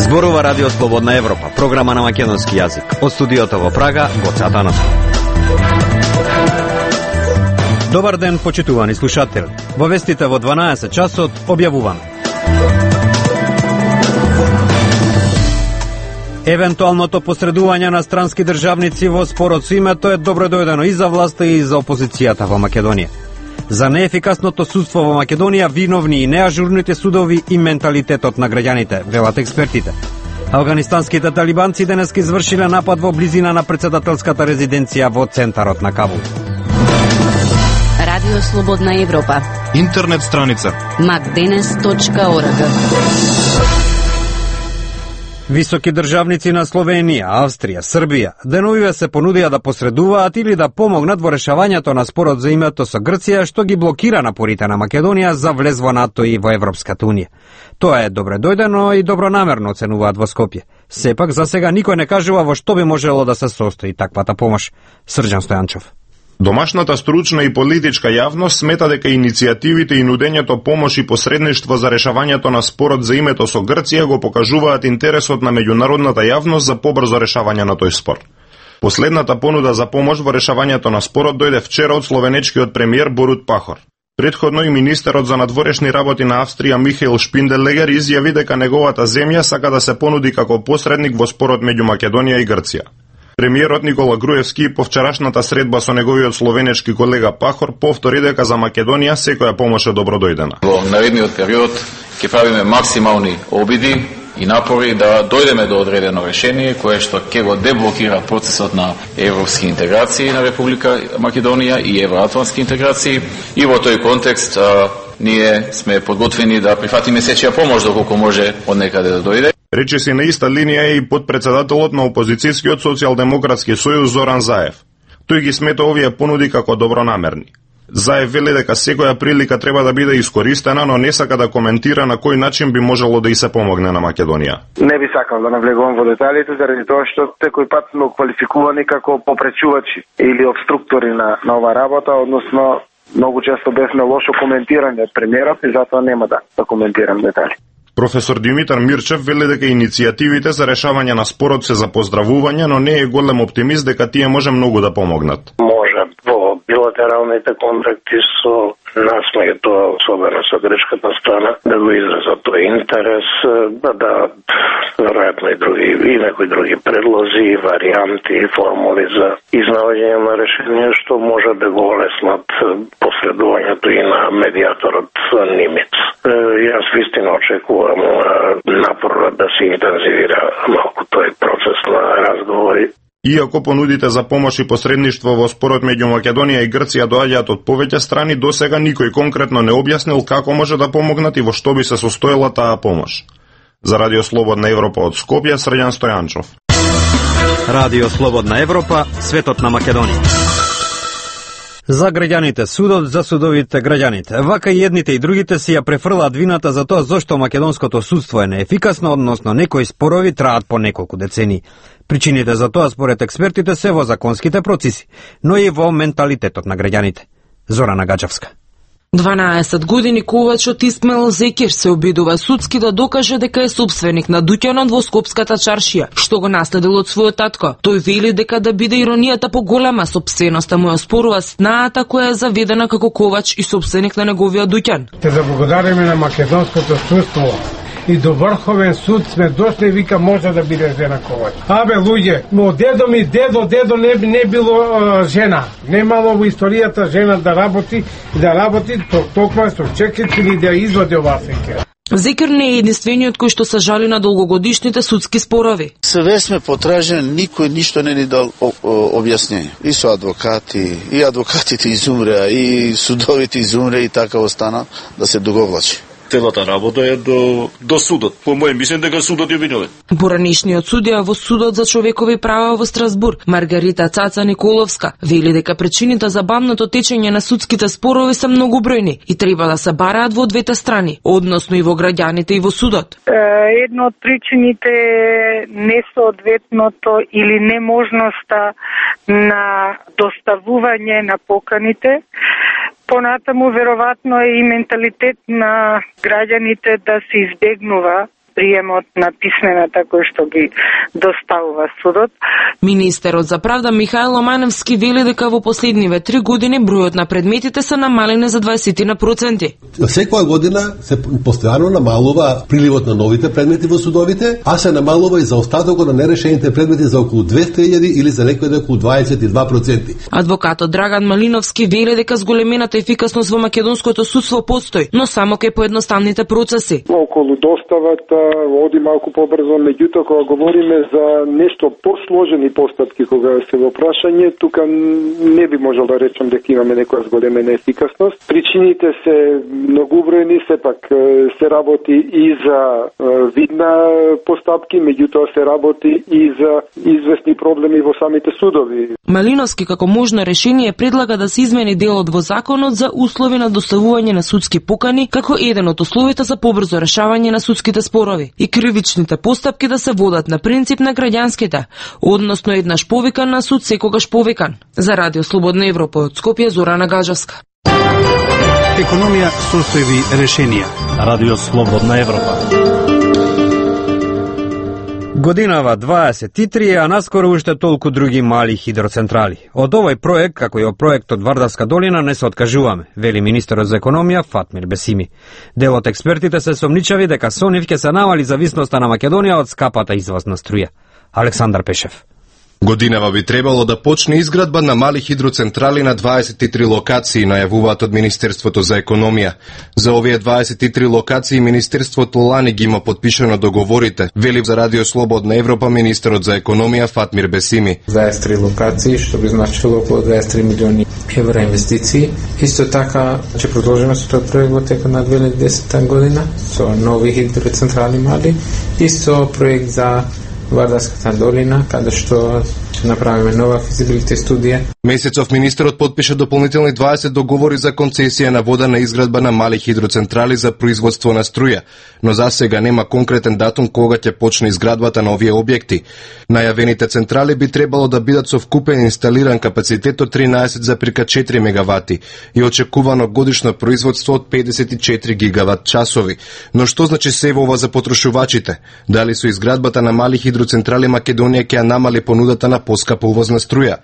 Зборува Радио Слободна Европа, програма на македонски јазик. Од студиото во Прага, Гоце Атанасов. Добар ден, почитувани слушатели. Во вестите во 12 часот објавуваме. Евентуалното посредување на странски државници во спорот со името е добродојдено и за власта и за опозицијата во Македонија. За неефикасното судство во Македонија виновни и неажурните судови и менталитетот на граѓаните, велат експертите. Афганистанските талибанци денеска извршиле напад во близина на претседателската резиденција во центарот на Кабул. Радио Слободна Европа. Интернет страница macdenes.org. Високи државници на Словенија, Австрија, Србија деновиве се понудија да посредуваат или да помогнат во решавањето на спорот за името со Грција, што ги блокира напорите на Македонија за влез во НАТО и во Европската унија. Тоа е добредојдено и добронамерно, оценуваат во Скопје. Сепак за сега никој не кажува во што би можело да се состои таквата помош. Срđan Стојанчов. Домашната стручна и политичка јавност смета дека иницијативите и нудењето помош и посредништво за решавањето на спорот за името со Грција го покажуваат интересот на меѓународната јавност за побрзо решавање на тој спор. Последната понуда за помош во решавањето на спорот дојде вчера од словенечкиот премиер Борут Пахор. Предходно и министерот за надворешни работи на Австрија Михаел Шпинделегер изјави дека неговата земја сака да се понуди како посредник во спорот меѓу Македонија и Грција. Премиерот Никола Груевски по вчерашната средба со неговиот словенечки колега Пахор повтори дека за Македонија секоја помош е добродојдена. Во наредниот период ќе правиме максимални обиди и напори да дојдеме до одредено решение кое што ќе го деблокира процесот на европски интеграции на Република Македонија и евроатлантски интеграции, и во тој контекст ние сме подготвени да прифатиме сечија помош доколку може од некаде да дојде. Рече си на иста линија е и подпредседателот на опозицијскиот социјалдемократски сојуз Зоран Заев. Тој ги смета овие понуди како добронамерни. Заев вели дека секоја прилика треба да биде искористена, но не сака да коментира на кој начин би можело да и се помогне на Македонија. Не би сакал да навлегувам во деталите, заради тоа што секој пат сме квалификувани како попречувачи или обструктори на ова работа, односно многу често бевме лошо коментирани од премиерот и затоа нема да коментирам детали. Професор Димитар Мирчев вели дека иницијативите за решавање на спорот се за поздравување, но не е голем оптимист дека тие може многу да помогнат. Може во билатералните контакти со нас, тоа особено со грчката страна, да го изразат тој интерес, да веројатно и некои други предлози, варијанти и формули за изнаоѓање на решение што може да го олеснат посредувањето и на медијаторот Нимец. Јас вистина очекувам напор да се интензивира малку тој процес на разговори. Иако понудите за помош и посредништво во спорот меѓу Македонија и Грција доаѓаат од повеќе страни, досега никој конкретно не објаснил како може да помогнат и во што би се состоела таа помош. За Радио Слободна Европа од Скопје, Срđan Стојанчов. Радио Слободна Европа, светот на Македонија. За граѓаните судот, за судовите граѓаните. Вака и едните и другите си ја префрлаат вината за тоа зошто македонското судство е неефикасно, односно некои спорови траат по неколку децении. Причините за тоа според експертите се во законските процеси, но и во менталитетот на граѓаните. Зорана Гаджавска. 12 години ковачот Исмаил Зекир се обидува судски да докаже дека е сопственик на дуќанот во Скопската чаршија, што го наследил од својот татко. Тој вели дека да биде иронијата поголема, сопственоста му ја спорува снаата која е заведена како ковач и сопственик на неговиот дуќан. Те заблагодариме на македонското судство и до Врховен суд сме дошли, вика може да биде жена ковач. Абе луѓе, но дедо не било жена. Немало во историјата жена да работи токма со чекит или да извади оваа сеќа. Зекир не е единствениот кој што се жали на долгогодишните судски спорови. Све сме потражени, никој ништо не ни дал објаснение. И со адвокати, и адвокатите изумреа, и судовите изумреа и така остана да се договлачи. Целата работа е до судот. По моје мислење дека судот е виновен. Поранишниот судија во судот за човекови права во Страсбург, Маргарита Цаца Николовска, вели дека причините за бавното течење на судските спорови се многобројни и треба да се бараат во двете страни, односно и во граѓаните и во судот. Една од причините е несоодветното или неможноста на доставување на поканите. Понатаму веројатно е и менталитет на граѓаните да се избегнува приемот на писмената кој што ги доставува судот. Министерот за правда Михаил Оманевски вели дека во последниве 3 години бројот на предметите се намалени за 20%. Секоја година се постојано намалува приливот на новите предмети во судовите, а се намалува и за остатокот на нерешените предмети за околу 200.000 или за некои околу 22%. Адвокатот Драган Малиновски вели дека зголемената ефикасност во македонското судство постои, но само кај поедноставните процеси. Околу доставата оди малку побрзо, меѓутоа кога говориме за нешто посложени постапки кога се во прашање, тука не би можел да речам дека имаме некоја зголемена ефикасност. Причините се многубројни, сепак се работи и за видна постапки, меѓутоа се работи и за известни проблеми во самите судови. Малиновски како можно решение предлага да се измени делот во законот за услови на доставување на судски покани како еден од условите за побрзо решавање на судските спорови и кривичните постапки да се водат на принцип на граѓанските, односно еднаш повикан на суд секогаш повикан. За Радио Слободна Европа од Скопје Зорана Гаджевска. Економија, состојби, решенија. Радио Слободна Европа. Годинава 23, а наскоро уште толку други мали хидроцентрали. Од овој проект, како и од проектот Вардарска долина, не се откажуваме, вели министерот за економија Фатмир Бесими. Дел од експертите се сомничави дека со нив ќе се намали зависноста на Македонија од скапата извозна струја. Александар Пешев. Годинава би требало да почне изградба на мали хидроцентрали на 23 локации, најавуваат од Министерството за економија. За овие 23 локации Министерството лани ги има подпишано договорите, вели за Радио Слободна Европа министерот за економија Фатмир Бесими. 23 локации, што би значило околу 23 милиони евра инвестиции. Исто така ќе продолжиме со тој проект во текот на 2010 година со нови хидроцентрали мали и со проект за Вардарската долина, каде што ќе направиме нова физибилите студија. Месецов министерот подпиша дополнителни 20 договори за концесија на вода на изградба на мали хидроцентрали за производство на струја, но за сега нема конкретен датум кога ќе почне изградбата на овие објекти. Најавените централи би требало да бидат со вкупен инсталиран капацитет од 13,4 мегавати и очекувано годишно производство од 54 гигават часови. Но што значи се ова за потрошувачите? Дали со изградбата на мали хидроцентрали Македонија ќе намали понудата на поскапа увозна струја?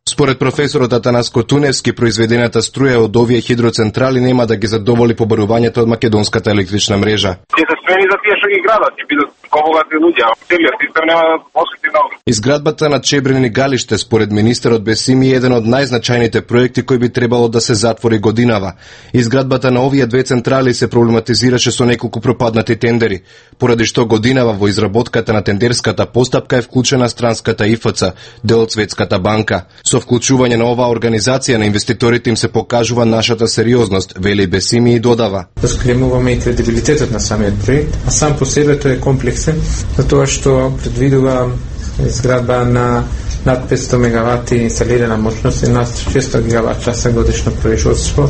Според професорот Атанаско Туневски, произведената струја од овие хидроцентрали нема да ги задоволи побарувањето од македонската електрична мрежа. Ќе се смени за тие што ги градат, ќе бидат побогати луѓе, а целиот систем нема да осети много. Изградбата на Чебрени галиште, според министерот Бесими, е еден од најзначајните проекти кои би требало да се затвори годинава. Изградбата на овие две централи се проблематизираше со неколку пропаднати тендери, поради што годинава во изработката на тендерската постапка е вклучена странската ИФЦ, дел од Светската банка. Со вклучување на оваа организација на инвеститорите им се покажува нашата сериозност, вели Бесими и додава. Зголемуваме и кредибилитетот на самиот проект, а сам по себе тој е комплексен, затоа што предвидува изградба на над 500 мегавати инсталирана мощност и над 600 гигават часа годишно производство,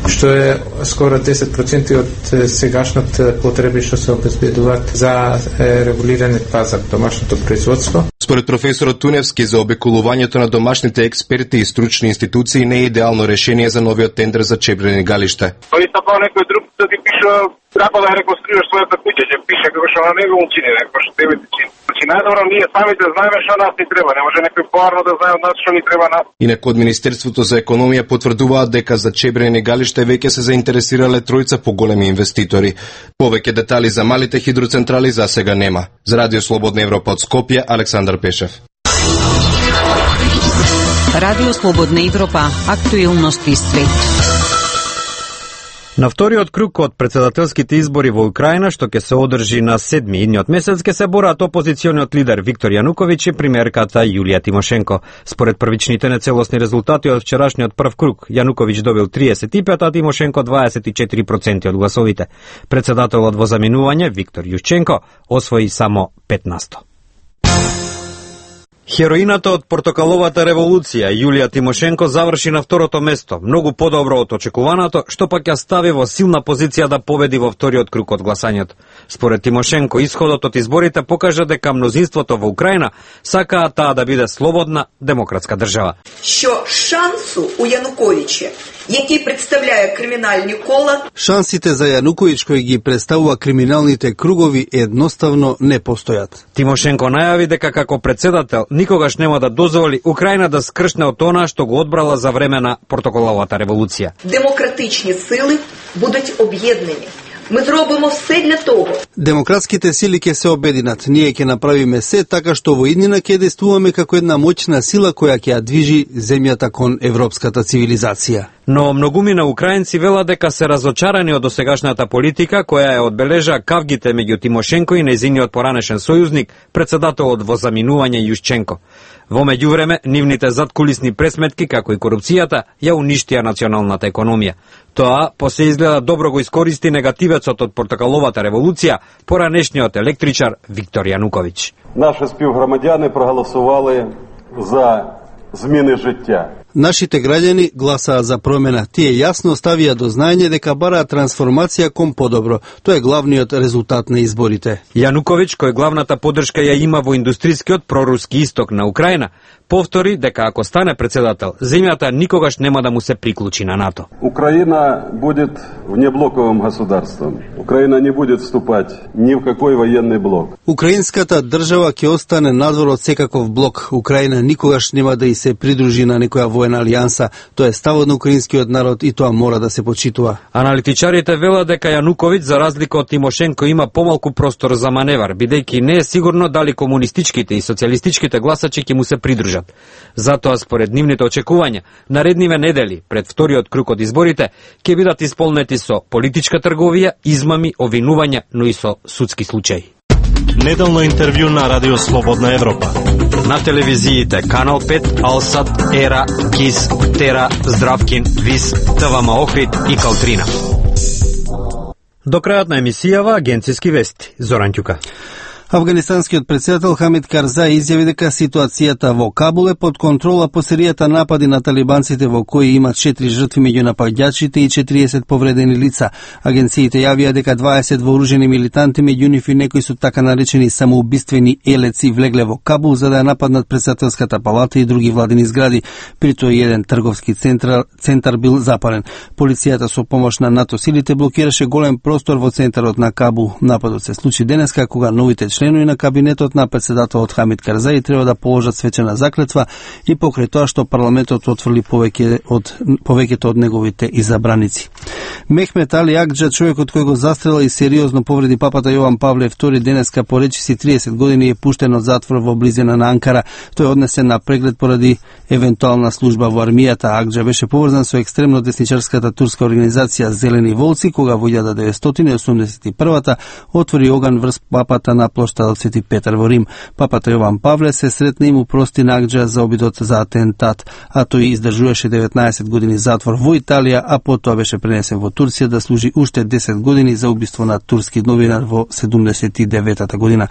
што е скоро 10% од сегашната потреби што се обезбедуваат за регулираниот пазар, домашното производство. Според професорот Туневски, за обиколувањето на домашните експерти и стручни институции не е идеално решение за новиот тендер за Чебрени галиште. Тој стапал некој друг да ти пише, треба да реконструираш својата куќа, ќе пише како што на него учини, како што тебе ти чини. Значи најдобро ние самите знаеме што нас ни треба, не може некој поарно да знае од нас што ни треба нас. Инаку од Министерството за економија потврдуваат дека за Чебрени галиште веќе се заинтересирале тројца поголеми инвеститори. Повеќе детали за малите хидроцентрали за сега нема. За Радио Слободна Европа од Скопје, Александар Пешев. Радио Слободна Европа, актуелности свет. На вториот круг од председателските избори во Украина, што ќе се одржи на 7 идниот месец, ќе се борат опозициониот лидер Виктор Јануковиќ и премиерката Јулија Тимошенко. Според првичните нецелосни резултати од вчерашниот прв круг, Јануковиќ добил 35, а Тимошенко 24% од гласовите. Председателот во заминување Виктор Јушченко освои само 15%. Хероината од портокаловата револуција, Јулија Тимошенко, заврши на второто место, многу подобро од очекуваното, што пак ја стави во силна позиција да победи во вториот круг од гласањето. Според Тимошенко, исходот од изборите покажа дека мнозинството во Украина сакаат таа да биде слободна демократска држава. Што шансу у Јануковича які представляе криминальни кола. Шансите за Јануковиќ кои ги представува криминалните кругови едноставно не постојат. Тимошенко најави дека како председател никогаш нема да дозволи Украина да скршне од она што го одбрала за време на протоколовата револуција. Демократични сили будуть обједнени. Мы зробимо все для того. Демократските сили ќе се обединат. Ние ќе направиме се така што во иднина ќе действуваме како една моćна сила која ќе ја движи земјата кон европската цивилизација. Но многумина украинци велат дека се разочарани од досегашната политика која ја одбележа кавгите меѓу Тимошенко и нејзиниот поранешен сојузник, председателот во заминување Јушченко. Во меѓувреме, нивните задкулисни пресметки, како и корупцијата, ја уништија националната економија. Тоа, по се изгледа добро го искористи негативецот од протоколовата револуција, поранешниот електричар Виктор Јануковиќ. Наши співгромадяни проголосували за зміни життя. Нашите граѓани гласаа за промена. Тие јасно ставија до знаење дека бараат трансформација кон подобро. Тоа е главниот резултат на изборите. Јануковиќ, кој главната поддршка ја има во индустрискиот проруски исток на Украина, повтори дека ако стане председател, земјата никогаш нема да му се приклучи на НАТО. Украина будет внеблоковым государством. Украина не будет вступать ни в какой военный блок. Украинската држава ќе остане надвор од секаков блок. Украина никогаш нема да и се придружи на некоја воена алијанса. Тоа е ставот на украинскиот народ и тоа мора да се почитува. Аналитичарите велат дека Јануковиќ, за разлика од Тимошенко, има помалку простор за маневар, бидејќи не е сигурно дали комунистичките и социјалистичките гласачи ќе му се придружат. Затоа, според нивните очекувања, наредниве недели, пред вториот круг од изборите, ќе бидат исполнети со политичка трговија, измами, обвинувања, но и со судски случаи. Неделно интервју на Радио Слободна Европа. На телевизиите Канал 5, Алсат, Ера, КИС, Тера, Здравкин, ВИС, ТВМ Охрид и Калтрина. До крајот на емисијава агенциски вести. Зоран Ќука. Афганистанскиот председател Хамид Карзаи изјави дека ситуацијата во Кабул е под контрола по серијата напади на талибанците во кои има 4 жртви меѓу напаѓачите и 40 повредени лица. Агенциите јавија дека 20 вооружени милитанти, меѓу нив и некои со така наречени самоубиствени елеци, влегле во Кабул за да ја нападнат председателската палата и други владени згради. При тоа еден трговски центар бил запален. Полицијата со помош на НАТО силите блокираше голем простор во центарот на Кабул. Нападот се случи денеска кога новите членови на кабинетот на председателот Хамид Карзаи треба да положат свечена заклетва и покрај тоа што парламентот отфрли повеќето од неговите изабраници. Мехмет Али Акџа, човекот кој го застрела и сериозно повреди папата Јован Павле II денеска по речиси 30 години е пуштен од затвор во близина на Анкара. Тој е однесен на преглед поради евентуална служба во армијата. Акџа беше поврзан со екстремно десничарската турска организација Зелени волци, кога во 1981 отвори оган врз папата на плоштадот Свети Петар во Рим. Папата Јован Павле се сретна и му прости на Акџа за обидот за атентат, а тој издржуваше 19 години затвор во Италија, а потоа беше пренесен во Турција да служи уште 10 години за убиство на турски новинар во 79-та година.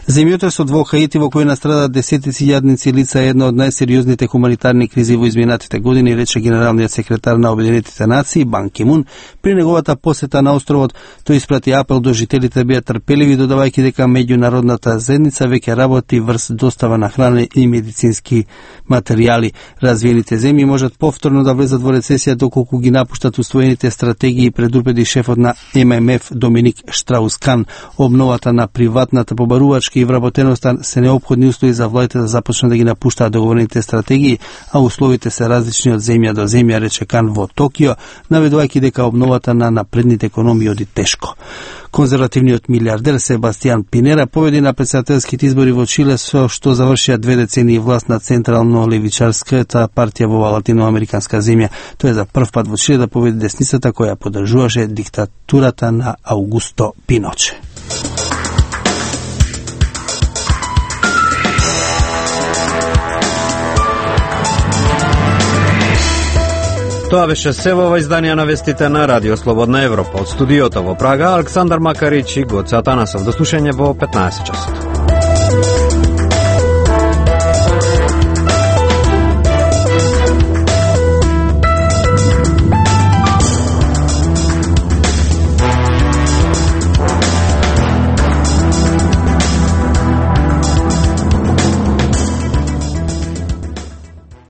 Земјотресот во Хаити, во кој настрадаа десетици јадници лица, е една од најсериозните хуманитарни кризи во изминатите години, рече генералниот секретар на Обединетите нации Бан Ки Мун при неговата посета на островот. Тој испрати апел до жителите да бидат трпеливи, додавајќи дека меѓународната заедница веќе работи врз достава на храна и медицински материјали. Развиените земји можат повторно да влезат во рецесија доколку ги напуштат усвоените стратегии, предупреди шефот на ММФ Доминик Штраус-Кан. Обновата на приватната побарувачка и вработеноста се неопходни услови за владите да започнат да ги напуштаат договорените стратегии, а условите се различни од земја до земја, рече Кан во Токио, наведувајќи дека обновата на напредните економии оди тешко. Конзервативниот милиардер Себастијан Пинера победи на председателските избори во Чиле, со што завршија 2 децении власт на централно-левичарската партија во латиноамериканска земја. Тоа е за прв пат во Чиле да победи десницата која поддржуваше диктатурата на Аугусто Пиноче. Тоа беше се во ова издание на вестите на Радио Слободна Европа. Од студиото во Прага, Александар Макарич и Гоце Атанасов. До слушање во 15 часот.